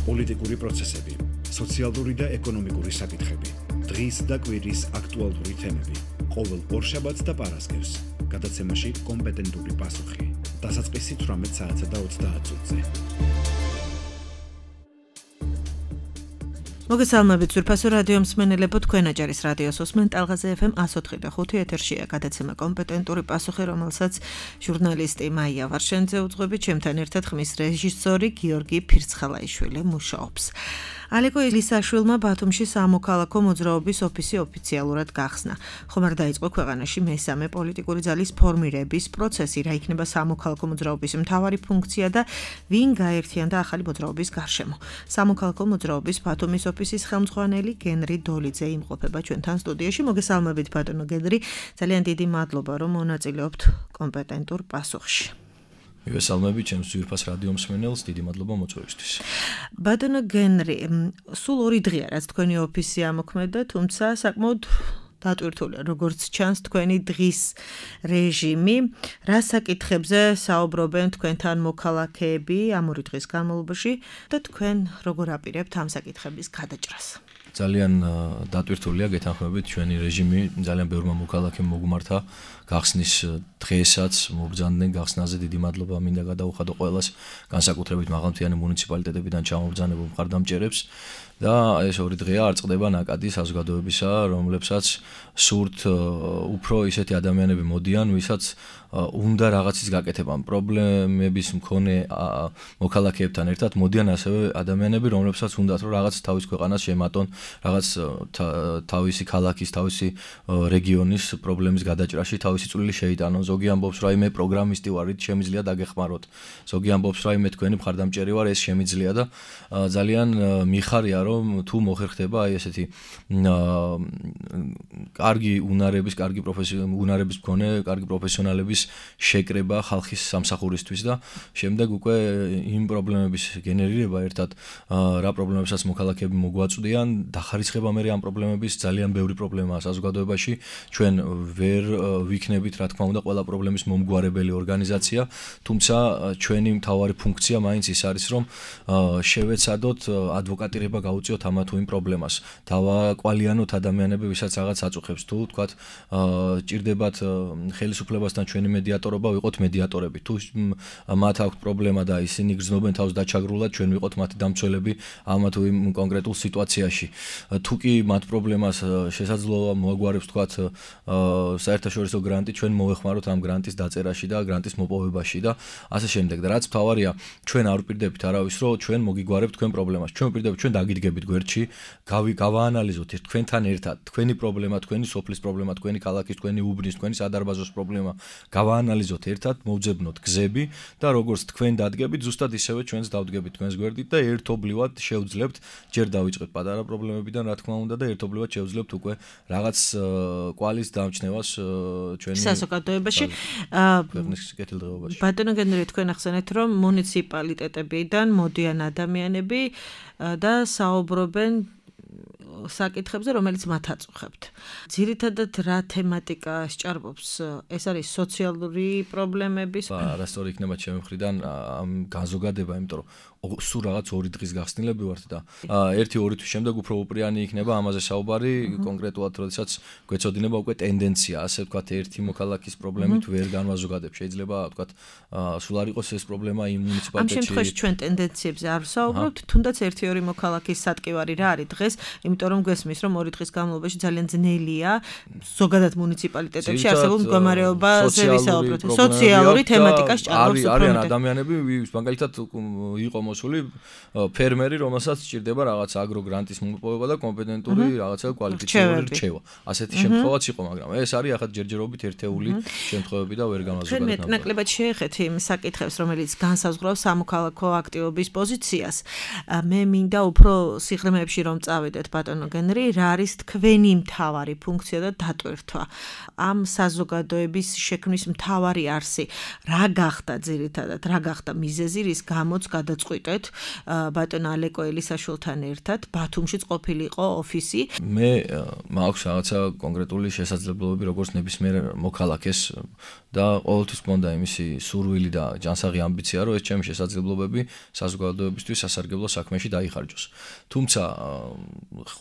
პოლიტიკური პროცესები, სოციალური და ეკონომიკური საკითხები, დღის და კვირის აქტუალური თემები, ყოველ ორშაბათს და პარასკევს, გადაცემაში კომპეტენტური პასუხი, დასაწყისი 18 საათსა და 30 წუთზე. მოგესალმებით ძვირფასო რადიო მსმენელებო, თქვენ აჭარის რადიოს უსმენთ ტალღაზე FM 104.5 ეთერშია გადაცემა კომპეტენტური პასუხი, რომელსაც ჟურნალისტი მაია ვარშენძე უძღვებით, ჩემთან ერთად ხმის რეჟისორი გიორგი ფირცხალაიშვილი მუშაობს. ალეკო ილისაშვილმა ბათუმში სამოქალაქო მოძრაობის ოფისი ოფიციალურად გახსნა. ხომ არ დაიწყო ქვეყანაში მესამე პოლიტიკური ძალის ფორმირების პროცესი, რა იქნება სამოქალაქო მოძრაობის მთავარი ფუნქცია და ვინ გაერთიანდა ახალი მოძრაობის გარშემო. სამოქალაქო მოძრაობის ბათუმის ოფისის ხელმძღვანელი გენრი დოლიძე იმყოფება ჩვენთან სტუდიაში. მოგესალმებით ბატონო გენრი, ძალიან დიდი მადლობა რომ მონაწილეობთ კომპეტენტურ პასუხში. მივესალმები ჩემს ძვირფას რადიო მსმენელს, დიდი მადლობა მოწვევისთვის. ბატონო გენრი, სულ 2 დღეა რაც თქვენი ოფისი ამოქმედა, თუმცა საკმაოდ დატვირთულია, როგორც ჩანს თქვენი დღის რეჟიმი. რა საკითხებზე საუბრობენ თქვენთან მოქალაქეები ამ 2 დღის განმავლობაში და თქვენ როგორ აპირებთ ამ საკითხების გადაჭრას? ძალიან დატვირთულია, გეთანხმებით, ჩვენი რეჟიმი ძალიან ბევრმა მოქალაქემ მოგმართა გახსნის დღესაც, მობრძანდნენ გახსნაზე, დიდი მადლობა მინდა გადაუხადო ყველას, განსაკუთრებით მაღალმთიანი მუნიციპალიტეტებიდან ჩამობრძანებულ მხარდამჭერებს და ეს 2 დღეა არ წყდება ნაკადი საზოგადოებისა, რომლებსაც სურთ უფრო ისეთი ადამიანები მოდიან, ვისაც უნდა რაღაცის გაკეთება, პრობლემების მქონე მოქალაქეებთან ერთად მოდიან ასევე ადამიანები, რომლებსაც უნდათ რომ რაღაც თავის ქვეყანას შემატონ, რაღაც თავისი ქალაქის, თავისი რეგიონის პრობლემის გადაჭრაში თავისი წვლილი შეიტანონ. ზოგი ამბობს, რომ მე პროგრამისტი ვარ, შემიძლია დაგეხმაროთ. ზოგი ამბობს, რომ მე თქვენი მხარდამჭერი ვარ, ეს შემიძლია და ძალიან მიხარია, რომ თუ მოხერხდება აი ესეთი კარგი უნარების, კარგი უნარების მქონე, კარგი პროფესიონალების შეკრება ხალხის სამსახურისთვის და შემდეგ უკვე იმ პრობლემების გენერირება ერთად რა პრობლემებსაც მოქალაქეები მოგვაწვდიან, დახარისხება მე ამ პრობლემების ძალიან ბევრი პრობლემაა საზოგადოებაში. ჩვენ ვერ ვიქნებით, რა თქმა უნდა, ყველა პრობლემის მომგვარებელი ორგანიზაცია, თუმცა ჩვენი მთავარი ფუნქცია მაინც ის არის, რომ შევეცადოთ ადვოკატირება გაუწიოთ ამა თუ იმ პრობლემას. დავაკვალიანოთ ადამიანები, ვისაც რაღაც აწუხებს, თუ თქვათ ჭირდებათ ხელისუფლებასთან ჩვენი მედიატორობა, ვიყოთ მედიატორები. თუ მათ აქვს პრობლემა და ისინი გრძნობენ თავს დაჩაგრულად, ჩვენ ვიყოთ მათი დამცველები ამა თუ იმ კონკრეტულ სიტუაციაში. თუ კი მათ პრობლემას შესაძლოა მოაგვარებს თქვათ საერთაშორისო გრანტი, ჩვენ მოვეხმაროთ ამ გრანტის დაწერაში და გრანტის მოპოვებაში და ასე შემდეგ. და რაც მთავარია, ჩვენ არ ვპირდებით არავის, რომ ჩვენ მოგიგვარებთ თქვენ პრობლემას. ჩვენ ვპირდებით, ჩვენ დაგიდგებით გვერდში, გავაანალიზოთ თქვენთან ერთად თქვენი პრობლემა, თქვენი სოფლის პრობლემა, თქვენი ქალაქის, თქვენი უბნის, თქვენი სადარბაზოს პრობლემა. გავაანალიზოთ ერთად, მოვძებნოთ გზები და როგორც თქვენ დადგებით, ზუსტად ისევე ჩვენც დავდგებით თქვენს გვერდით და ერთობლივად შევძლებთ, ჯერ დავიწყეთ პატარა პრობლემებიდან, რა თქმა უნდა, და ერთობლივად შევძლებთ უკვე რაღაც კვალის დამჩნევას ჩვენი საზოგადოებაში. ქვეყნის კეთილდღეობაში. ბატონო გენერი, თქვენ ახსენეთ, რომ მუნიციპალიტეტებიდან მოდიან ადამიანები და საუბრობენ საკითხებზე, რომელიც მათ აწუხებთ. ძირითადად რა თემატიკა სჭარბობს? ეს არის სოციალური პრობლემების? არასწორი იქნება ჩემი მხრიდან ამ განზოგადება, იმიტომ რომ სულ რაღაც 2 დღის გახსნილები ვართ და 1-2 თვის შემდეგ უფრო უპრიანი იქნება ამაზე საუბარი, კონკრეტულად როდესაც გვეცოდინება უკვე ტენდენცია, ასე ვთქვათ, ერთი მოქალაქის პრობლემით ვერ განვაზოგადებ. შეიძლება ვთქვათ, სულ არ იყოს ეს პრობლემა იმ მუნიციპალიტეტში. ამ შემთხვევაში ჩვენ ტენდენციებზე არ ვსაუბრობთ, თუნდაც 1-2 მოქალაქის სატკივარი რა არის დღეს, იმიტომ რომ გვესმის, რომ 2 დღის განმავლობაში ძალიან ძნელია ზოგადად მუნიციპალიტეტებში არსებულ მდგომარეობაზე ვისაუბროთ. სოციალური თემატიკა სჭარბობს უფრო. არიან ადამიანები, მაგალითად იყო მოსული ფერმერი, რომელსაც სჭირდება რაღაც აგროგრანტის მოპოვება და კომპეტენტური რაღაცა კვალიფიციური რჩევა. ასეთი შემთხვევაც იყო, მაგრამ ეს არის ახლა ჯერჯერობით ერთეული შემთხვევები და ვერ გამაზოგადეთ. ჩვენ მეტნაკლებად შეეხეთ იმ საკითხებს, რომელიც განსაზღვრავს სამოქალაქო აქტივობის პოზიციას. მე მინდა უფრო სიღრმეებში რომ წავიდეთ, ბატონო გენრი, რა არის თქვენი მთავარი ფუნქცია და დატვირთვა? ამ საზოგადოების შექმნის მთავარი არსი რა გახდა ძირითადად, რა გახდა მიზეზი, რის გამოც გადაწყვიტეთ მოვიყეთ ბატონ ალეკო ელისაშვილთან ერთად ბათუმშიც ყოფილიყო ოფისი. მე მაქვს რაღაცა კონკრეტული შესაძლებლობები როგორც ნებისმიერ მოქალაქეს და ყოველთვის მქონდა იმისი სურვილი და ჯანსაღი ამბიცია რომ ეს ჩემი შესაძლებლობები საზოგადოებისთვის სასარგებლო საქმეში დაიხარჯოს. თუმცა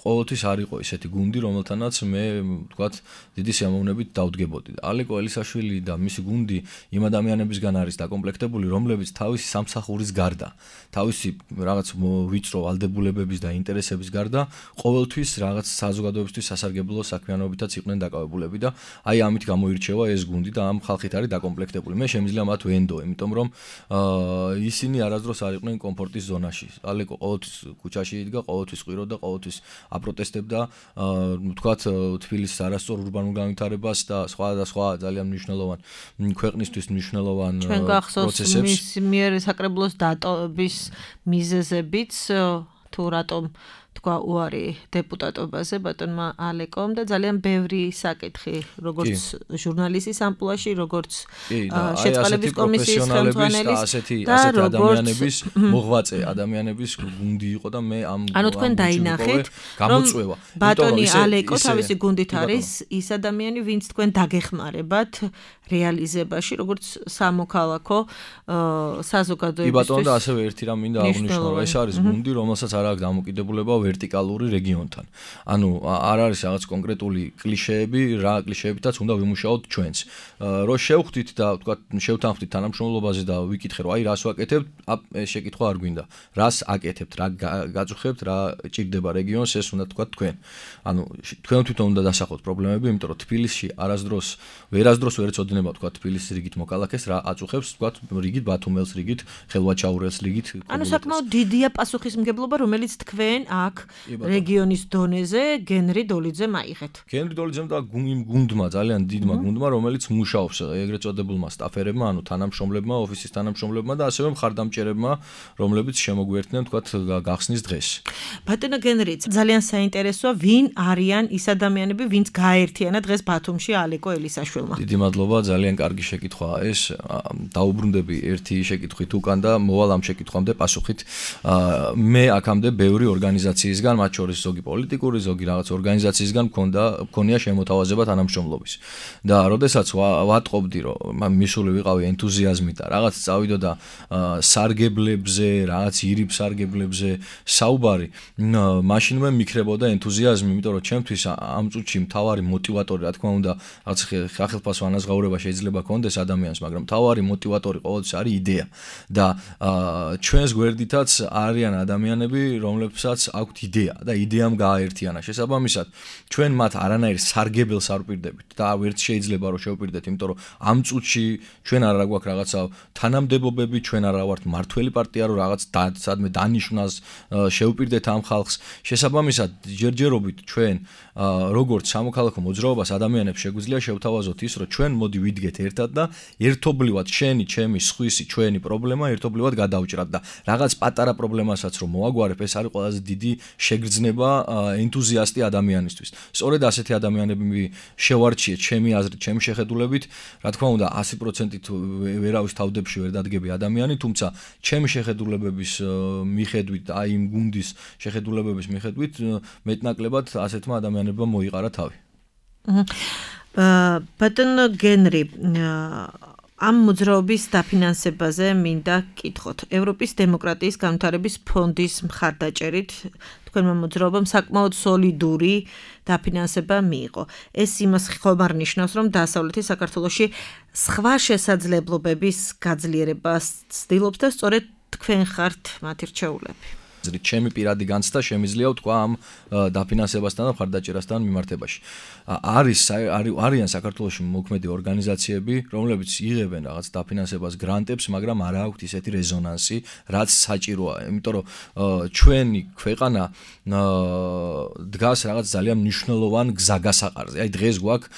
ყოველთვის არ იყო ისეთი გუნდი რომელთანაც მე ვთქვათ დიდი სიამოვნებით დავდგებოდი. ალეკო ელისაშვილი და მისი გუნდი იმ ადამიანებისგან არის დაკომპლექტებული რომლებიც თავისი სამსახურის გარდა თავისი რაღაც ვიწრო ვალდებულებების და ინტერესების გარდა ყოველთვის რაღაც საზოგადოებისთვის სასარგებლო საქმიანობითაც იყვნენ დაკავებულები და აი ამით გამოირჩევა ეს გუნდი და ამ ხალხით არის დაკომპლექტებული. მე შემიძლია მათ ვენდო, იმიტომ რომ ისინი არასდროს არ იყვნენ კომფორტის ზონაში. ალეკო ყოველთვის ქუჩაში იდგა, ყოველთვის ყიროდა, ყოველთვის აპროტესტებდა, ვთქვათ, თბილისის არასწორ ურბანულ განვითარებას და სხვა ძალიან მნიშვნელოვან ქვეყნისთვის მნიშვნელოვან პროცესებს. მის მიერ საკრებულოს დატოვების მიზეზებიც თუ რატომ თქვა უარი დეპუტატობაზე ბატონმა ალეკომ და ძალიან ბევრი საკითხი როგორც ჟურნალისტის ამპლუაში როგორც შეწყალების კომისიის ხელმძღვანელის და ადამიანების მოღვაწე ადამიანების გუნდი იყო და მე ამ ანუ თქვენ დაინახეთ გამოწვევა ბატონი ალეკო თავისი გუნდით არის ის ადამიანი ვინც თქვენ დაგეხმარებათ რეალიზებაში როგორც სამოქალაქო საზოგადოებისთვის ბატონო და ასევე ერთი რამ მინდა აღნიშნო რომ ეს არის გუნდი რომელსაც არ აქვს დამოკიდებულება ვერტიკალური რეგიონთან. ანუ არ არის რაღაც კონკრეტული კლიშეები, რა კლიშეებითაც უნდა ვიმუშაოთ ჩვენს. რო შევხვდით და ვთქვათ, შევთანხმდით თანამშრომლობაზე და ვიკითხე რომ აი რას ვაკეთებთ, ეს შეკითხვა არ გვინდა. რას აკეთებთ, რა გაწუხებთ, რა ჭირდება რეგიონს, ეს უნდა თქვათ თქვენ. ანუ თქვენ თვითონ უნდა დასახოთ პრობლემები, იმიტომ რომ თბილისში ვერასდროს ვერ ეცოდინება თქვათ თბილისის რიგით მოქალაქეს რა აწუხებს, თქვათ რიგით ბათუმელს რიგით, ხელვაჩაურელს რიგით. ანუ საკმაოდ დიდია პასუხისმგებლობა, რომელიც თქვენ აქ რეგიონის დონეზე გენრი დოლიძემ აიღეთ. გენრი დოლიძემ და იმ გუნდმა, ძალიან დიდმა გუნდმა, რომელიც მუშაობს ეგრეთ წოდებულმა სტაფერებმა, ანუ თანამშრომლებმა, ოფისის თანამშრომლებმა და ასევე მხარდამჭერებმა, რომლებიც შემოგვიერთდნენ, თქვათ, გახსნის დღეს. ბატონო გენრი, ძალიან საინტერესოა, ვინ არიან ის ადამიანები, ვინც გააერთიანა დღეს ბათუმში ალეკო ელისაშვილმა. დიდი მადლობა, ძალიან კარგი შეკითხვაა ეს. დაუბრუნდები ერთი შეკითხვით უკან და მოვალ ამ შეკითხვამდე პასუხით. მე აქამდე ბევრი ორგანიზაციისგან, მათ შორის ზოგი პოლიტიკური, ზოგი რაღაც ორგანიზაციისგან მქონია შემოთავაზება თანამშრომლობის. და როდესაც ვატყობდი, რომ მისული ვიყავი ენთუზიაზმით და რაღაც წავიდოდა სარგებლებზე, რაღაც ირიბ სარგებლებზე საუბარი, მაშინ მე მიქრებოდა ენთუზიაზმი, იმიტომ რომ ჩემთვის ამ წუთში მთავარი მოტივატორი, რა თქმა უნდა, რაღაც ხალხელფასო ანაზღაურება შეიძლება კონდეს ადამიანს, მაგრამ მთავარი მოტივატორი ყოველთვის არის იდეა. და ჩვენს გვერდითაც არიან ადამიანები, რომლებსაც აქვთ იდეა და იდეამ გააერთიანა. შესაბამისად, ჩვენ მათ არანაირ სარგებელს არ ვპირდებით და ვერც შეიძლება რომ შევპირდეთ, იმიტომ რომ ამ წუთში ჩვენ არ გვაქვს რაღაცა თანამდებობები, ჩვენ არა ვართ მართველი პარტია, რომ რაღაც სადმე დანიშნას შევპირდეთ ამ ხალხს. შესაბამისად, ჯერჯერობით ჩვენ როგორც სამოქალაქო მოძრაობას ადამიანებს შეგვიძლია შევთავაზოთ ის, რომ ჩვენ მოდი ვიდგეთ ერთად და ერთობლივად შენი, ჩემი, სხვისი, ჩვენი პრობლემა ერთობლივად გადავჭრათ და რაღაც პატარა პრობლემასაც რომ მოვაგვარებ, ეს არის ყველაზე დიდი შეგრძნება ენთუზიასტი ადამიანისთვის. სწორედ ასეთი ადამიანები შევარჩიეთ ჩემი აზრით, ჩემი შეხედულებით, რა თქმა უნდა 100%-ით ვერავის თავდებში ვერ დადგები ადამიანი, თუმცა ჩემი შეხედულებების მიხედვით, აი იმ გუნდის შეხედულებების მიხედვით, მეტნაკლებად ასეთმა ადამიანებმა მოიყარა თავი. ბატონო გენრი, ამ მოძრაობის დაფინანსებაზე მინდა კითხოთ. ევროპის დემოკრატიის განვითარების ფონდის მხარდაჭერით თქვენმა მოძრაობამ საკმაოდ სოლიდური დაფინანსება მიიღო. ეს იმას ხომ არ ნიშნავს, რომ დასავლეთის საქართველოში სხვა შესაძლებლობების გაძლიერებას ცდილობს და სწორედ თქვენ ხართ მათი რჩეულები. ჩემი პირადი განცდა შემიძლია ვთქვა ამ დაფინანსებასთან და მხარდაჭერასთან მიმართებაში. არიან საქართველოში მოქმედი ორგანიზაციები, რომლებიც იღებენ რაღაც დაფინანსებას, გრანტებს, მაგრამ არ აქვთ ისეთი რეზონანსი, რაც საჭიროა. იმიტომ რომ ჩვენი ქვეყანა დგას რაღაც ძალიან მნიშვნელოვან გზაგასაყარზე. აი დღეს გვაქვს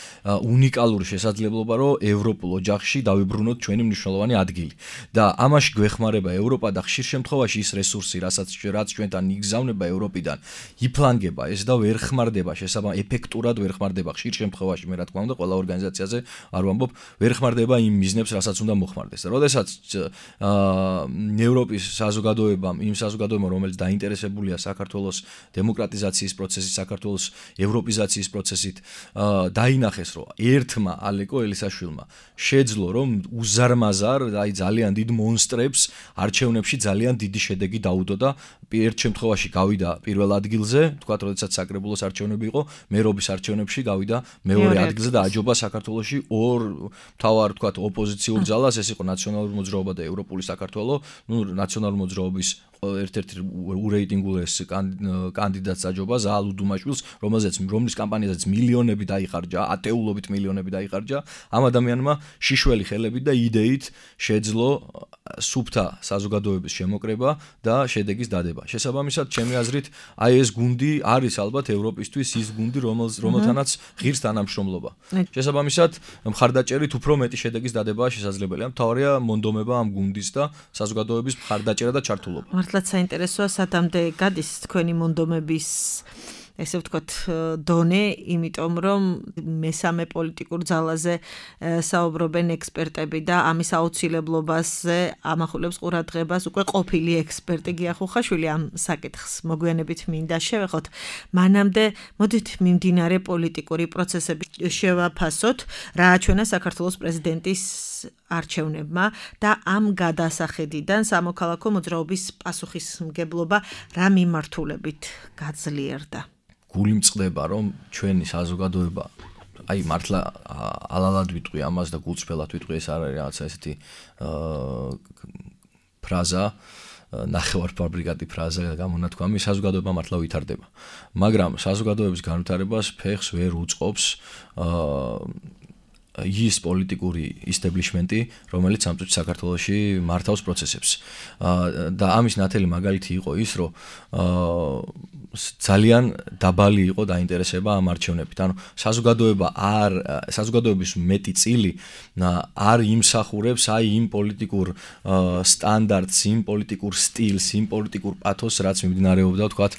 უნიკალური შესაძლებლობა, რომ ევროპულ ოჯახში დავიბრუნოთ ჩვენი მნიშვნელოვანი ადგილი. და ამაში გვეხმარება ევროპა და ხშირ შემთხვევაში ის რესურსი, რასაც რაც ჩვენთან იგზავნება ევროპიდან, იფლანგება ეს და ვერ ხმარდება, შესაბამისად ეფექტურად ვერ ხმარდება ხშირ შემთხვევაში, მე რა თქმა უნდა, ყველა ორგანიზაციაზე არ ვამბობ, ვერ ხმარდება იმ მიზნებს, რასაც უნდა მოხმარდეს. და როდესაც ევროპის საზოგადოებამ, იმ საზოგადოებამ, რომელიც დაინტერესებულია საქართველოს დემოკრატიზაციის პროცესით, საქართველოს ევროპიზაციის პროცესით, დაინახეს, რომ ერთმა ალეკო ელისაშვილმა შეძლო, რომ უზარმაზარ, აი ძალიან დიდ მონსტრებს არჩევნებში ძალიან დიდი შედეგი დაუდო და ერთ შემთხვევაში გავიდა პირველ ადგილზე, თქვათ, როდესაც საკრებულოს არჩევნები იყო, მერობის არჩევნებში გავიდა მეორე ადგილზე და აჯობა საქართველოში ორ მთავარ, თქვათ, ოპოზიციურ ძალას, ეს იყო ნაციონალური მოძრაობა და ევროპული საქართველო, ნაციონალური მოძრაობის ერთ-ერთი ურეიტინგულეს კანდიდატს აჯობა ზაალ უდუმაშვილს, რომლის კამპანიაზეც მილიონები დაიხარჯა, ათეულობით მილიონები დაიხარჯა, ამ ადამიანმა შიშველი ხელებით და იდეით შეძლო სუფთა საზოგადოების შემოკრება და შედეგის დადება. შესაბამისად, ჩემი აზრით, აი ეს გუნდი არის ალბათ ევროპისთვის ის გუნდი, რომელთანაც ღირს თანამშრომლობა. შესაბამისად, მხარდაჭერით უფრო მეტი შედეგის დადებაა შესაძლებელი. მთავარია მონდომება ამ გუნდის და საზოგადოების მხარდაჭერა და ჩართულობა. მართლაც საინტერესოა, სათამდე გადის თქვენი მონდომების ესე ვთქვათ დონე, იმიტომ რომ მესამე პოლიტიკურ ძალაზე საუბრობენ ექსპერტები და ამის აუცილებლობაზე ამახვილებს ყურადღებას უკვე ყოფილი ექსპერტი გია ხუხაშვილი ამ საკითხს მოგვიანებით მინდა შევეხოთ. მანამდე მოდით მიმდინარე პოლიტიკური პროცესები შევაფასოთ, რა აჩვენა საქართველოს პრეზიდენტის არჩევნებმა და ამ გადასახედიდან სამოქალაქო მოძრაობის პასუხისმგებლობა რა მიმართულებით გაძლიერდა. გული მწყდება, რომ ჩვენი საზოგადოება, აი მართლა ალალად ვიტყვი ამას და გულწრფელად ვიტყვი, ეს არ არის რაღაცა ესეთი ფრაზა, ნახევარფაბრიკატი ფრაზა გამონათქვამი, საზოგადოება მართლა ვითარდება. მაგრამ საზოგადოების განვითარებას ფეხს ვერ უწყობს ის პოლიტიკური ისტაბლიშმენტი, რომელიც ამ წუთში საქართველოში მართავს პროცესებს. და ამის ნათელი მაგალითი იყო ის, რომ ძალიან დაბალი იყო დაინტერესება ამ არჩევნებით. ანუ საზოგადოების მეტი წილი არ იმსახურებს აი იმ პოლიტიკურ სტანდარტს, იმ პოლიტიკურ სტილს, იმ პოლიტიკურ პათოსს, რაც მიმდინარეობდა, ვთქვათ,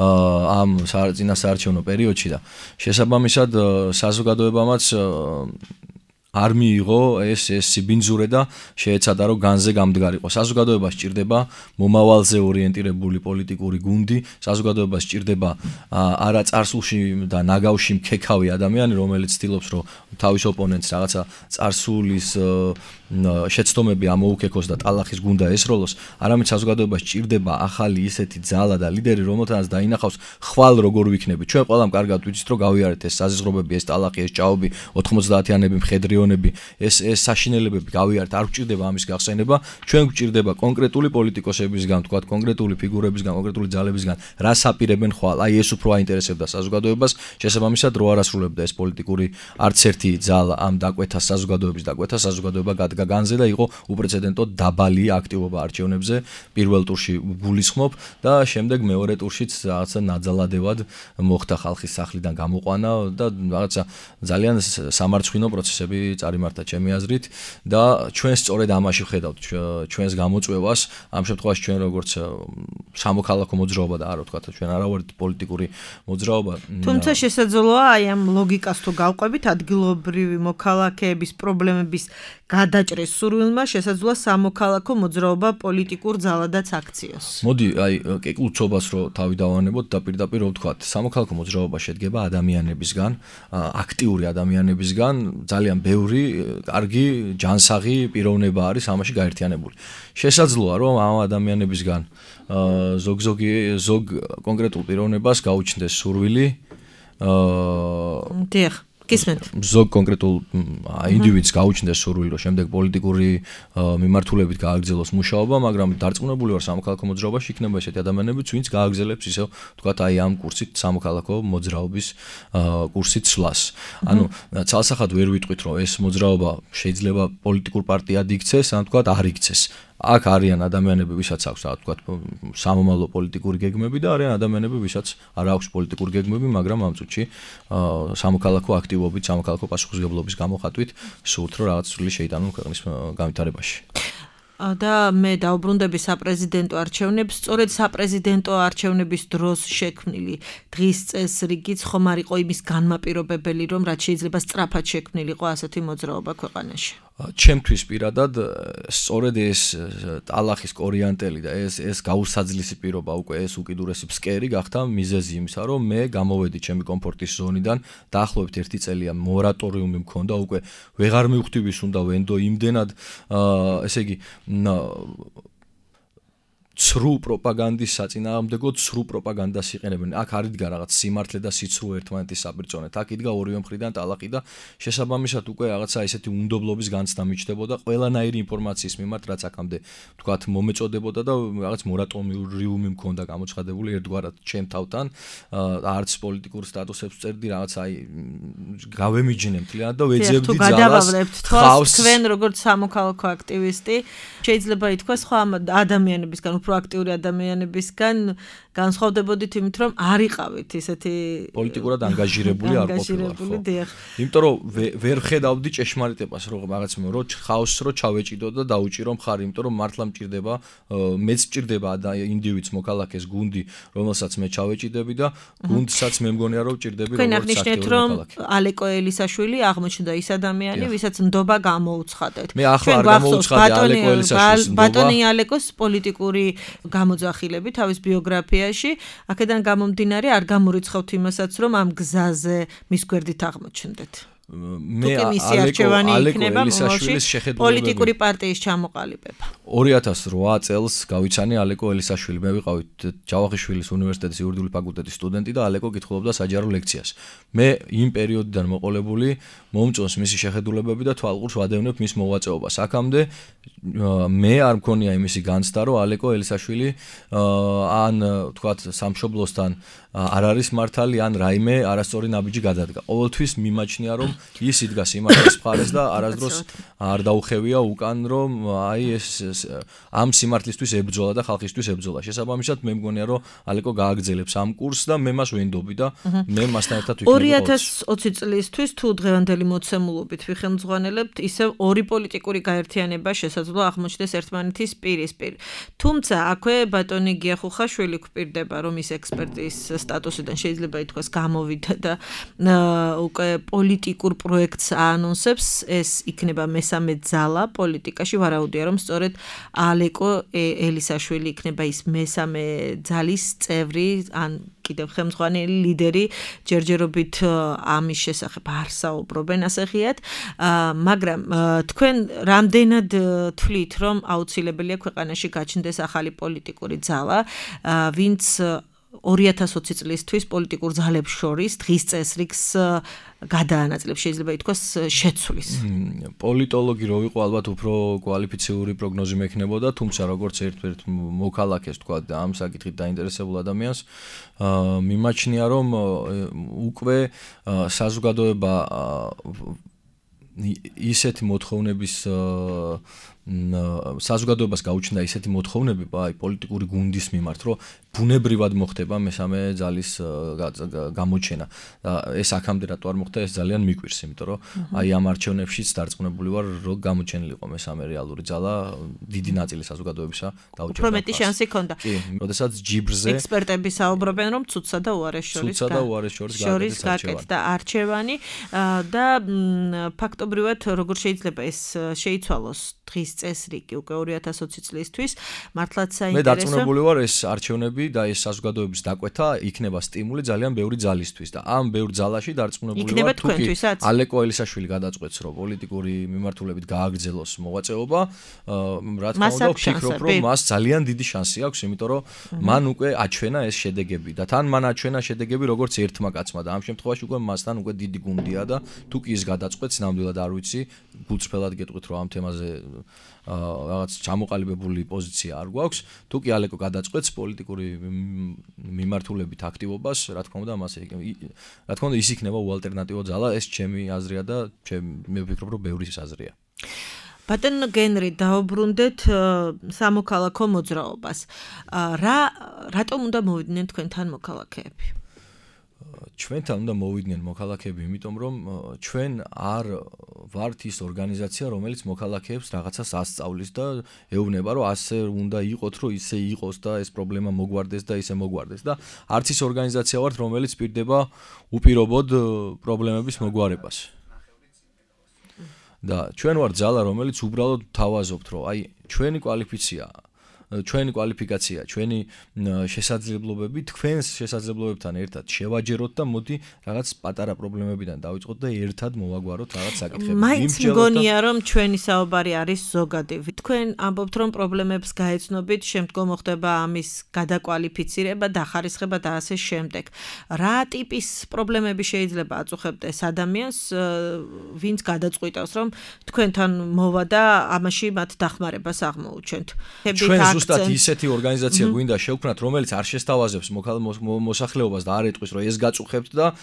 ამ წინასაარჩევნო პერიოდში და შესაბამისად საზოგადოებამაც არ მიიღო ეს სიბინძურე და შეეცადა რომ განზე გამდგარიყო. საზოგადოებას სჭირდება მომავალზე ორიენტირებული პოლიტიკური გუნდი, საზოგადოებას სჭირდება არა წარსულში და ნაგავში მქექავი ადამიანი, რომელიც ცდილობს რომ თავის ოპონენტს რაღაცა წარსულის შეცდომები ამოუქეკოს და ტალახის გუნდა ესროლოს, არამედ საზოგადოებას სჭირდება ახალი ისეთი ძალა და ლიდერი, რომელთანაც დაინახავს ხვალ როგორ ვიქნები. ჩვენ ყველამ კარგად ვიცით რომ გავიარეთ ეს საზღვრები, ეს ტალახი, ეს ჭაობი, 90-იანები მხედრიონები, ეს საშინელებები გავიარეთ, არ გვჭირდება ამის გახსენება, ჩვენ გვჭირდება კონკრეტული პოლიტიკოსებისგან, თქვათ, კონკრეტული ფიგურებისგან, კონკრეტული ძალებისგან, რას აპირებენ ხვალ. აი ეს უფრო აინტერესებდა საზოგადოებას, შესაბამისად რო არ ასრულებდა ეს პოლიტიკური არც ერთი ძალა ამ დაკვეთას, საზოგადოების დაკვეთას, საზოგადოება გადგა განზე და იყო უპრეცედენტო დაბალი აქტივობა არჩევნებზე, პირველ ტურში გულისხმობ და შემდეგ მეორე ტურშიც რაღაცა ნაძალადევად მოხდა ხალხის სახლიდან გამოყვანა და რაღაცა ძალიან სამარცხვინო პროცესები წარიმართა ჩემი აზრით და ჩვენ სწორედ ამაში ვხედავთ ჩვენს გამოწვევას, ამ შემთხვევაში ჩვენ როგორც სამოქალაქო მოძრაობა და არა ვთქვათ, ჩვენ არა ვართ პოლიტიკური მოძრაობა. თუმცა შესაძლოა აი ამ ლოგიკას თუ გავყვებით, ადგილობრივი მოქალაქეების პრობლემების გადაჭრის სურვილმა შესაძლოა სამოქალაქო მოძრაობა პოლიტიკურ ძალადაც აქციოს. მოდი, აი კეკლუცობას რო თავი დავანებოთ და პირდაპირ რო ვთქვათ, სამოქალაქო მოძრაობა შედგება ადამიანებისგან, აქტიური ადამიანებისგან, ძალიან ბევრი, კარგი, ჯანსაღი პიროვნება არის ამაში გაერთიანებული. შესაძლოა რომ ამ ადამიანებისგან ზოგ კონკრეტულ პიროვნებას გაუჩნდეს სურვილი დიახ, გისმენთ. ზოგ კონკრეტულ ინდივიდს გაუჩნდეს სურვილი, რომ შემდეგ პოლიტიკური მიმართულებით გააგრძელოს მუშაობა, მაგრამ დარწმუნებული ვარ სამოქალაქო მოძრაობაში იქნება ესეთი ადამიანებიც, ვინც გააგრძელებს ისევ, თქვათ, აი ამ კურსით სამოქალაქო მოძრაობის კურსით სვლას. ანუ ცალსახად ვერ ვიტყვით, რომ ეს მოძრაობა შეიძლება პოლიტიკურ პარტიად იქცეს, ან თქვათ, არ იქცეს. აქ არიან ადამიანები, ვისაც აქვს რა თქვა სამომავლო პოლიტიკური გეგმები და არიან ადამიანები, ვისაც არ აქვს პოლიტიკური გეგმები, მაგრამ ამ წუთში სამოქალაქო აქტივობით, სამოქალაქო პასუხისმგებლობის გამოხატვით სურთ რომ რაღაც სრული შეიტანონ ქვეყნის განვითარებაში. და მე დაუბრუნდები საპრეზიდენტო არჩევნებს, სწორედ საპრეზიდენტო არჩევნების დროს შექმნილი დღის წესრიგიც ხომ არ იყო იმის განმაპირობებელი, რომ რაც შეიძლება სწრაფად შექმნილიყო ასეთი მოძრაობა ქვეყანაში. ჩემთვის პირადად სწორედ ეს ტალახის კორიანტელი და ეს გაუსაძლისი პირობა უკვე ეს უკიდურესი ფსკერი გახდა მიზეზი იმისა, რომ მე გამოვედი ჩემი კომფორტის ზონიდან, დაახლოებით 1 წელია მორატორიუმი მქონდა, უკვე ვეღარ მივხვდი ვის უნდა ვენდო იმდენად, ესე იგი ცრუ პროპაგანდის საწინააღმდეგო ცრუ პროპაგანდას იყენებენ. აქ არ იდგა რაღაც სიმართლე და სიცრუე ერთმანეთის საპირწონეთ. აქ იდგა ორივე მხრიდან ტალახი და შესაბამისად უკვე რაღაცა ესეთი უნდობლობის განცდა მიჩნდებოდა ყველანაირი ინფორმაციის მიმართ, რაც აქამდე თქვათ მომეწოდებოდა და რაღაც მორატორიუმი მქონდა გამოცხადებული ერთგვარად ჩემ თავთან. არც პოლიტიკურ სტატუსებს წერდი, რაღაც აი გავემიჯნე მთლიანად და ვეძებდი ძალას. თქვენ როგორც სამოქალაქო აქტივისტი შეიძლება ითქვას სხვა ადამიანებისგან უფრო აქტიური ადამიანებისგან განსხვავდებოდით იმით, რომ არ იყავით ისეთი პოლიტიკურად ანგაჟირებული არ ყოფილიყო. იმიტომ რომ ვერ ხედავდი ჭეშმარიტებას, რომ რაღაც რო ხაოსს რო ჩავეჭიდო და დაუჭირო მხარი, იმიტომ რომ მართლა მჭირდება, მეც მჭირდება ინდივიდს მოქალაქეს გუნდი, რომელსაც მე ჩავეჭიდები და გუნდსაც მე მგონია რომ მჭირდები როგორც აქტიური მოქალაქე. ალეკო ელისაშვილი აღმოჩნდა ის ადამიანი, ვისაც ნდობა გამოუცხადეთ. მე ახლა არ გამოუცხადე ალეკო ელისაშვილის ნდობა. ბატონი ალეკოს პოლიტიკური გამოძახილები თავის ბიოგრაფიაში, აქედან გამომდინარე არ გამორიცხავთ იმასაც, რომ ამ გზაზე მის გვერდით აღმოჩნდეთ. მე ალეკო ელისაშვილის შეხედულებები პოლიტიკური პარტიის ჩამოყალიბება. 2008 წელს გავიცანი ალეკო ელისაშვილი. მე ვიყავი ჯავახიშვილის უნივერსიტეტის იურიდიული ფაკულტეტის სტუდენტი და ალეკო კითხულობდა საჯარო ლექციას. მე იმ პერიოდიდან მოყოლებული მომწონს მისი შეხედულებები და თვალყურს ვადევნებ მის მოღვაწეობას. აქამდე მე არ მქონია იმისი განცდა, რომ ალეკო ელისაშვილი ან თქვათ სამშობლოსთან არ არის მართალი ან რაიმე არასწორი ნაბიჯი გადადგა. ყოველთვის მიმაჩნია, რომ ის იდგა სიმართლის მხარეს და არასდროს არ დაუხევია უკან, რომ აი ეს ამ სიმართლისთვის ებრძოლა და ხალხისთვის ებრძოლა. შესაბამისად მე მგონია, რომ ალეკო გააგრძელებს ამ კურსს და მე მას ვენდობი და მე მასთან ერთად ვიქნები. 2020 წლისთვის თუ დღევანდელი მოცემულობით ვიხელმძღვანელებთ, ისევ ორი პოლიტიკური გაერთიანება შესაძლოა აღმოჩნდეს ერთმანეთის პირისპირ. თუმცა აქვე ბატონი გიახუხაშვილი გვპირდება, რომ ის ექსპერტის სტატუსიდან შეიძლება ითქვას გამოვიდა და უკვე პოლიტიკურ პროექტს აანონსებს, ეს იქნება მესამე ძალა პოლიტიკაში. ვარაუდია, რომ სწორედ ალეკო ელისაშვილი იქნება ის მესამე ძალის წევრი, ან კიდევ ხელმძღვანელი ლიდერი. ჯერჯერობით ამის შესახებ არ საუბრობენ ასე ღიად, მაგრამ თქვენ რამდენად თვლით, რომ აუცილებელია ქვეყანაში გაჩნდეს ახალი პოლიტიკური ძალა, ვინც 2020 წლისთვის პოლიტიკურ ძალებს შორის დღის წესრიგს გადაანაწილებს, შეიძლება ითქვას შეცვლის. პოლიტოლოგი რო ვიყო, ალბათ უფრო კვალიფიციური პროგნოზი მექნებოდა, თუმცა როგორც ერთ-ერთ მოქალაქეს თქვა და ამ საკითხით დაინტერესებულ ადამიანს, მიმაჩნია, რომ უკვე საზოგადოება ისეთი მოთხოვნების საზოგადოებას გაუჩნდა ისეთი მოთხოვნები აი პოლიტიკური გუნდის მიმართ, რომ ბუნებრივად მოხდება მესამე ძალის გამოჩენა. ეს აქამდე რატო არ მოხდა, ეს ძალიან მიკვირს, იმიტომ რომ აი ამ არჩევნებშიც დარწმუნებული ვარ, რომ გამოჩენილიყო მესამე რეალური ძალა, დიდი ნაწილი საზოგადოებისა დაუჭერდა. უფრო მეტი შანსი ჰქონდა. კი, როდესაც ჯიბრზე ექსპერტები საუბრობენ, რომ ცუცსა და უარეს შორის გაკეთდა არჩევანი და ფაქტობრივად როგორ შეიძლება ეს შეიცვალოს დღის წესრიგი უკვე 2020 წლისთვის, მართლაც საინტერესო. მე დარწმუნებული ვარ, ეს არჩევნები და ეს საზოგადოების დაკვეთა იქნება სტიმული ძალიან ბევრი ძალისთვის და ამ ბევრ ძალაში დარწმუნებული ვარ, თუკი ალეკო ელისაშვილი გადაწყვეტს, რომ პოლიტიკური მიმართულებით გააგრძელოს მოღვაწეობა, რა თქმა უნდა, ვფიქრობ, რომ მას ძალიან დიდი შანსი აქვს, იმიტომ რომ მან უკვე აჩვენა ეს შედეგები და თან მან აჩვენა შედეგები როგორც ერთმა კაცმა და ამ შემთხვევაში უკვე მასთან უკვე დიდი გუნდია და თუკი ის გადაწყვეტს, ნამდვილად არ ვიცი, გულწრფელად გეტყვით, რომ ამ თემაზე რაღაც ჩამოყალიბებული პოზიცია არ გვაქვს. თუკი ალეკო გადაწყვეტს პოლიტიკური მიმართულებით აქტივობას, რა თქმა უნდა, ის იქნება უალტერნატივო ძალა, ეს ჩემი აზრია და მე ვფიქრობ, რომ ბევრის აზრია. ბატონ გენრი, დაუბრუნდეთ სამოქალაქო მოძრაობას. რატომ უნდა მოვიდნენ თქვენთან მოქალაქეები? ჩვენთან უნდა მოვიდნენ მოქალაქეები, იმიტომ რომ ჩვენ არ ვართ ის ორგანიზაცია, რომელიც მოქალაქეებს რაღაცას ასწავლის და ეუბნება, რომ ასე უნდა იყოთ, რომ ისე იყოს და ეს პრობლემა მოგვარდეს და ისე მოგვარდეს და არც ის ორგანიზაცია ვართ, რომელიც პირდება უპირობოდ პრობლემების მოგვარებას. და ჩვენ ვართ ძალა, რომელიც უბრალოდ თავაზობთ, რომ აი ჩვენი კვალიფიკაცია, ჩვენი შესაძლებლობები თქვენს შესაძლებლობებთან ერთად შევაჯეროთ და მოდი რაღაც პატარა პრობლემებიდან დავიწყოთ და ერთად მოვაგვაროთ რაღაც საკითხები. მაინც მგონია, რომ ჩვენი საუბარი არის ზოგადი. თქვენ ამბობთ, რომ პრობლემებს გაეცნობით, შემდგომ ხდება ამის გადაკვალიფიცირება, დახარისხება და ასე შემდეგ. რა ტიპის პრობლემები შეიძლება აწუხებდეს ადამიანს, ვინც გადაწყვიტავს, რომ თქვენთან მოვა და ამაში მათ დახმარებას აღმოუჩენთ. ზუსტად ისეთი ორგანიზაცია გვინდა შევქმნათ, რომელიც არ შესთავაზებს მოსახლეობას და არ ეტყვის, რომ ეს გაწუხებთ და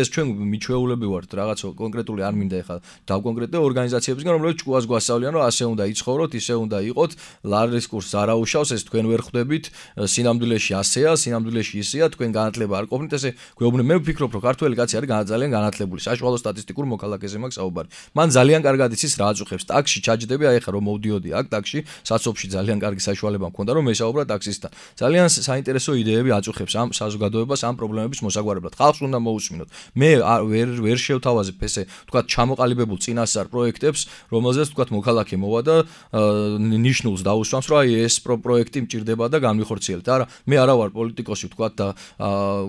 ეს ჩვენ მიჩვეულები ვართ, რაღაც კონკრეტული არ მინდა ეხლა დავკონკრეტო ორგანიზაციებისგან, რომლებიც ჭკუას გვასწავლიან, რომ ასე უნდა იცხოვროთ, ისე უნდა იყოთ, ლარის კურსს არ აუშავს, ეს თქვენ ვერ ხვდებით, სინამდვილეში ასეა, სინამდვილეში ისეა, თქვენ განათლება არ ყოფნით, ესე გვეუბნები. მე ვფიქრობ, რომ ქართველი კაცი არის ძალიან განათლებული, საშუალო სტატისტიკურ მოქალაქეზე მაქვს საუბარი. მან ძალიან კარგად იცის რა აწუხებს. ტაქსში ჩაჯდები, აი ხა რომ მოვდიოდი აქ ტაქსში, საცობში ძალიან კარგი საშუალება მქონდა, რომ მესაუბრა ტაქსისტთან. ძალიან საინტერესო იდეები აწუხებს ამ საზოგადოებას, ამ პრობლემების მოსაგვარებლად. ხალხს უნდა მოусმინოთ. მე ვერ შევთავაზებ ესე, თქვათ, ჩამოყალიბებულ წინასწარ პროექტებს, რომელზეც თქვათ მოქალაქე მოვა და ნიშნულს დაუსვამს, რომ აი ეს პროექტი მჭირდება და განვიხორციელეთ. არა, მე არა ვარ პოლიტიკოსი, თქვათ და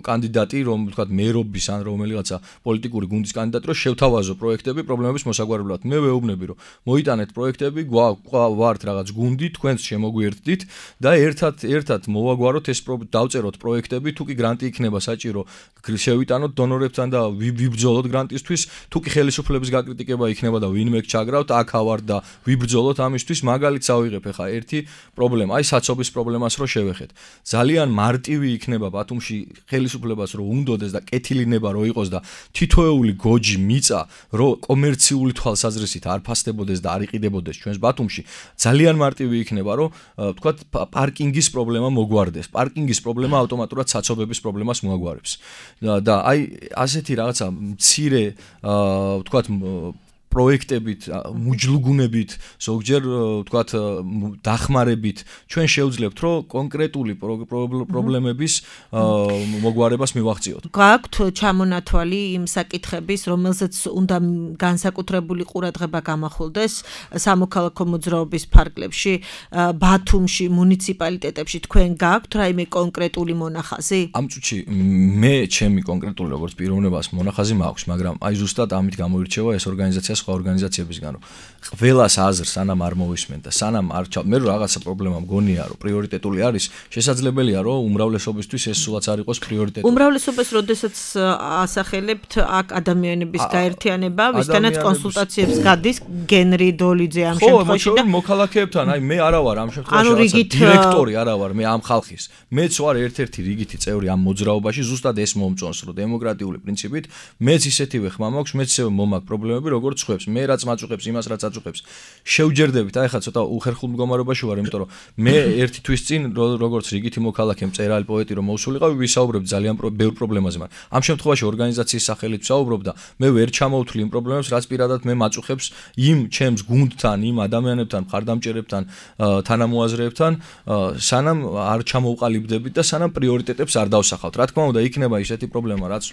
კანდიდატი, რომ თქვათ მერობის ან რომელიღაცა პოლიტიკური გუნდის კანდიდატი, რომ შევთავაზო პროექტები პრობლემების მოსაგვარებლად. მე ვეუბნები, რომ მოიტანეთ პროექტები, ვართ რაღაც გუნდი, თქვენს შემოგვიერთდით და ერთად მოვაგვაროთ ეს დავწეროთ პროექტები, თუ კი გრანტი იქნება საჭირო, შევიტანოთ დონორებთან და ვიბრძოლოთ გრანტისთვის, თუ კი ხელისუფლების გაკრიტიკება იქნება და ვინმე ჩაგრავთ, აქ ავარ და ვიბრძოლოთ ამისთვის, მაგალითს ავიღებ ახლა ერთი პრობლემა, აი საცობის პრობლემას რო შევეხეთ. ძალიან მარტივი იქნება ბათუმში ხელისუფლებას რო უნდოდეს და კეთილინება რო იყოს და თითოეული გოჯი მიწა რო კომერციული თვალსაზრისით არ ფასდებოდეს და არ იყიდებოდეს ჩვენს ბათუმში, ძალიან მარტივი იქნება, რომ თქვათ პარკინგის პრობლემა მოგვარდეს. პარკინგის პრობლემა ავტომატურად საცობების პრობლემას მოაგვარებს. და აი ასეთი რაღაცა მცირე თქვათ პროექტებით, მუჯლუგუნებით, ზოგჯერ თქვათ დახმარებით ჩვენ შევძლებთ, რომ კონკრეტული პრობლემების მოგვარებას მივაღწიოთ. გაქვთ ჩამონათვალი იმ საკითხების, რომელზეც უნდა განსაკუთრებული ყურადღება გამახვილდეს სამოქალაქო მოძრაობის ფარგლებში, ბათუმში, მუნიციპალიტეტებში თქვენ გაქვთ რაიმე კონკრეტული მონახაზი? ამ წუთში მე ჩემი კონკრეტული როგორც პიროვნებას მონახაზი მაქვს, მაგრამ აი ზუსტად ამით გამოირჩევა ეს ორგანიზაცია სხვა ორგანიზაციებისგან, რომ ყველას აზრს სანამ არ მოვისმენ და სანამ არ მე რომ რაღაცა პრობლემა მგონია, რომ პრიორიტეტული არის, შესაძლებელია, რომ უმრავლესობისთვის ეს სულაც არ იყოს პრიორიტეტული. უმრავლესობას როდესაც ასახელებთ აქ ადამიანების გაერთიანება, ვისთანაც კონსულტაციებს გადის გენრი დოლიძე ამ შემთხვევაში და მოქალაქეებთან, აი მე არა ვარ ამ შემთხვევაში დირექტორი არა ვარ, მე ამ ხალხის. მეც ვარ ერთ-ერთი რიგითი წევრი ამ მოძრაობაში, ზუსტად ეს მომწონს, რომ დემოკრატიული პრინციპით მეც ისეთივე ხმა მაქვს, მეც ისევე მომაქვს პრობლემები, როგორც ხვებს, მე რაც მაწუხებს, იმას რაც აწუხებს. შევჯერდებით, აი ხა ცოტა უხერხულ მდგომარეობაში ვარ, იმიტომ რომ მე ერთი თვის წინ როგორც რიგითი მოქალაქე, მწერალი, პოეტი რომ მოვსულიყავი, ვისაუბრებ ძალიან ბევრ პრობლემაზე, მაგრამ ამ შემთხვევაში ორგანიზაციის სახელით ვსაუბრობ და მე ვერ ჩამოვთვლი იმ პრობლემებს, რაც პირადად მე მაწუხებს იმ ჩემს გუნდთან, იმ ადამიანებთან, მხარდამჭერებთან, თანამოაზრეებთან, სანამ არ ჩამოვყალიბდებით და სანამ პრიორიტეტებს არ დავსახავთ. რა თქმა უნდა, იქნება ისეთი პრობლემა, რაც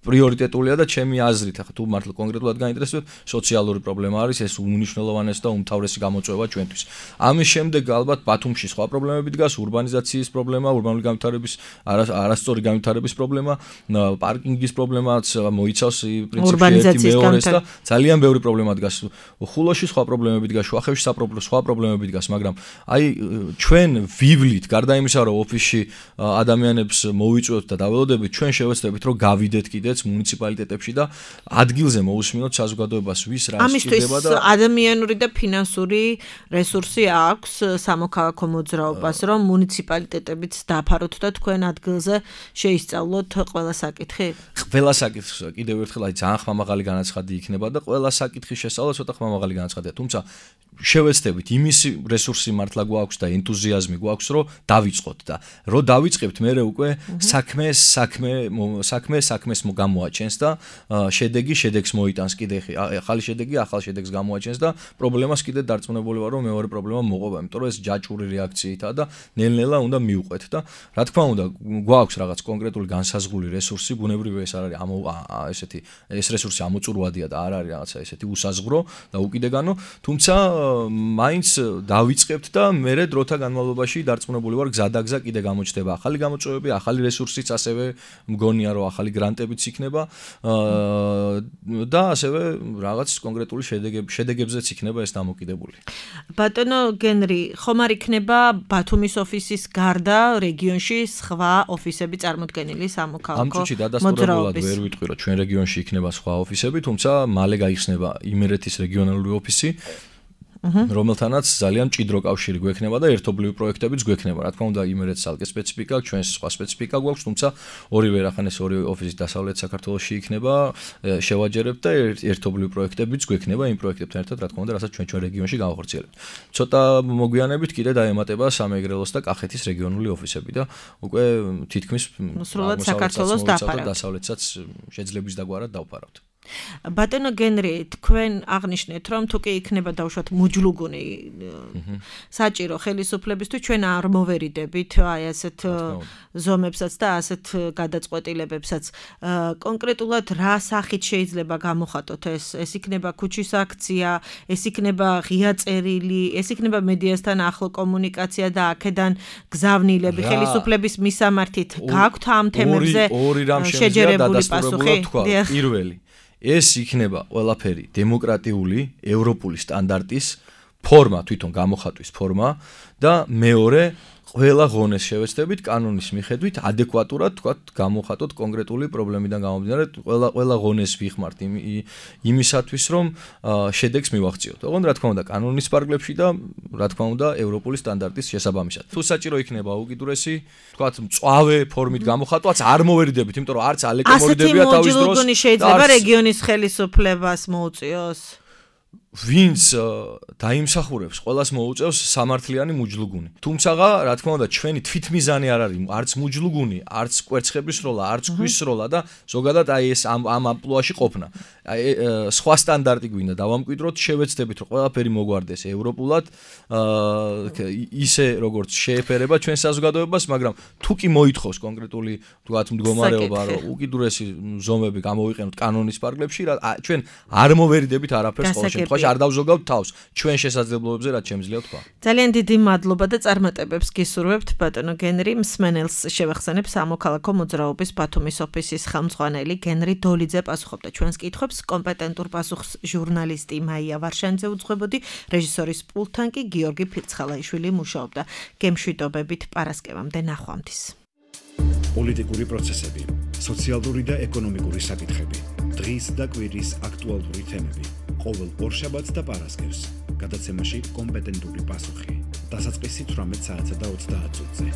პრიორიტეტულია და ჩემი აზრით, ახლა თუ მართლა კონკრეტულად გაინტერესებთ, სოციალური პრობლემა არის, ეს უმნიშვნელოვანესი და უმთავრესი გამოწვევა ჩვენთვის. ამის შემდეგ ალბათ ბათუმში სხვა პრობლემები დგას, ურბანიზაციის პრობლემა, ურბანული განვითარების არასწორი განვითარების პრობლემა, პარკინგის პრობლემაც მოიცავს პრინციპში მეორეს და ძალიან ბევრი პრობლემა დგას. ხულოში სხვა პრობლემები დგას, შუახევში სხვა პრობლემები დგას, მაგრამ აი ჩვენ ვივლით, გარდა იმისა, რომ ოფისში ადამიანებს მოვიწვევთ და დაველოდებით, ჩვენ შევეცდებით, რომ გავიდეთ კიდეც მუნიციპალიტეტებში და ადგილზე მოусმინოთ საზოგადოებას, ვის რა სჭირდება და ადამიანური და ფინანსური რესურსი აქვს სამოქალაქო მოძრაობას, რომ მუნიციპალიტეტებიც დაფაროთ და თქვენ ადგილზე შეისწავლოთ ყველა საკითხი? ყველა საკითხს კიდევ ერთხელ აი ძალიან ხმამაღალი განაცხადი იქნება და ყველა საკითხის შესწავლა ცოტა ხმამაღალი განაცხადია, თუმცა შევეცდებით იმის რესურსი მართლა გვაქვს და ენთუზიაზმი გვაქვს, რომ დავიწყოთ და რომ დავიწყებთ, მე უკვე საქმეს გამოაჩენს და შედეგს მოიტანს კიდე ახალი შედეგი, ახალ შედეგს გამოაჩენს და პრობლემას კიდე დარწმუნებული ვარ, რომ მეორე პრობლემა მოყვება, იმიტომ რომ ეს ჯაჭვური რეაქციითაა და ნელ-ნელა უნდა მივყვეთ და რა თქმა უნდა, გვაქვს რაღაც კონკრეტული განსაზღვრული რესურსი, ბუნებრივია ეს არ არის ეს რესურსი ამოწურვადია და არ არის რაღაცა ესეთი უსაზღვრო და უკიდეგანო, თუმცა მაინც დავიწყებთ და მერე დროთა განმავლობაში დარწმუნებული ვარ გზადაგზა კიდე გამოჩნდება ახალი გამოწვევები, ახალი რესურსიც ასევე მგონია რომ ახალი გრანტებიც იქნება და ასევე რაღაც კონკრეტული შედეგებზეც იქნება ეს დამოკიდებული. ბატონო გენრი, ხომ არ იქნება ბათუმის ოფისის გარდა რეგიონში სხვა ოფისები წარმოდგენილი სამოქალაქო ამ წუთში დადასტურებულად ვერ ვიტყვი რომ ჩვენ რეგიონში იქნება სხვა ოფისები, თუმცა მალე გაიხსნება იმერეთის რეგიონალური ოფისი, რომელთანაც ძალიან მჭიდრო კავშირი გვექნება და ერთობლივი პროექტებიც გვექნება. რა თქმა უნდა, იმერეთს ალკე სპეციფიკა, ჩვენს სხვა სპეციფიკა გვაქვს, თუმცა ორივე რახანეს ორი ოფისი დასავლეთ საქართველოში იქნება, შევაჯერებთ და ერთობლივი პროექტებიც გვექნება იმ პროექტებთან ერთად, რა თქმა უნდა, რასაც ჩვენ რეგიონში გავახორციელებთ. ცოტა მოგვიანებით კიდე დაემატება სამეგრელოს და კახეთის რეგიონული ოფისები და უკვე თითქმის სრულად საქართველოს დასავლეთსაც შეძლების დაგვარად დავფარავთ. ბატონო გენრი, თქვენ აღნიშნეთ, რომ თუ კი იქნება დავუშვათ მუჯლუგუნი საჭირო ხელისუფლებისთვის, ჩვენ არ მოვერიდებით აი ასეთ ზომებსაც და ასეთ გადაწყვეტილებებსაც. კონკრეტულად რა სახით შეიძლება გამოხატოთ ეს? ეს იქნება ქუჩის აქცია, ეს იქნება ღია წერილი, ეს იქნება მედიასთან ახლო კომუნიკაცია და აქედან გზავნილები ხელისუფლების მისამართით. გაქვთ ამ თემებზე შეჯერებული პასუხი? პირველი ეს იქნება ყველაფერი დემოკრატიული, ევროპული სტანდარტის ფორმა, თვითონ გამოხატვის ფორმა და მეორე ყველა ღონეს შევეცდებით კანონის მიხედვით ადეკვატურად თქვათ გამოხატოთ კონკრეტული პრობლემიდან გამომდინარე, ყველა ღონეს ვიხმართ იმისათვის, რომ შედეგს მივაღწიოთ. ოღონდ რა თქმა უნდა, კანონის პარგლებში და რა თქმა უნდა, ევროპული სტანდარტის შესაბამისად. თუ საჭირო იქნება უკიდურესი, თქვათ მწვავე ფორმით გამოხატვაც არ მოვერიდებით, იმიტომ რომ არც ალეკე მორიდებია თავის დროს. ასეთი მუჯლუგუნი შეიძლება რეგიონის ხელისუფლებას მოუწიოს? ვინც დაიმსახურებს, ყველას მოუწევს სამართლიანი მუჯლუგუნი. თუმცა, რა თქმა უნდა, ჩვენი თვითმიზანი არ არის არც მუჯლუგუნი, არც კვერცხების სროლა, არც ქვის სროლა და ზოგადად აი ეს ამ ამპლუაში ყოფნა. სხვა სტანდარტი გვინდა დავამკვიდროთ, შევეცდებით, რომ ყველაფერი მოგვარდეს ევროპულად, ისე როგორც შეეფერება ჩვენ საზოგადოებას, მაგრამ თუ კი მოითხოვს კონკრეტული თქვათ მდგომარეობა, რომ უკიდურესი ზომები გამოვიყენოთ კანონის პარგლებში, ჩვენ არ მოვერიდებით არაფერს ყოველ შემთხვევაში. არ დავზოგავთ თავს ჩვენ შესაძლებლობებზე, რაც შემიძლია თქვა. ძალიან დიდი მადლობა და წარმატებებს გისურვებთ ბატონო გენრი. მსმენელს შევახსენებ სამოქალაქო მოძრაობის ბათუმის ოფისის ხელმძღვანელი გენრი დოლიძე პასუხობდა ჩვენს კითხვებს. კომპეტენტურ პასუხს ჟურნალისტი მაია ვარშანიძე უძღვებოდი, რეჟისორის პულტთან კი გიორგი ფირცხალაიშვილი მუშაობდა. გემშვიდობებით პარასკევამდე ნახვამდის. პოლიტიკური პროცესები, სოციალური და ეკონომიკური საკითხები, დღის და კვირის აქტუალური თემები. ყოველ ორშაბათს და პარასკევს გადაცემაში კომპეტენტური პასუხი. დასაწყისი 18 საათსა და 30 წუთზე.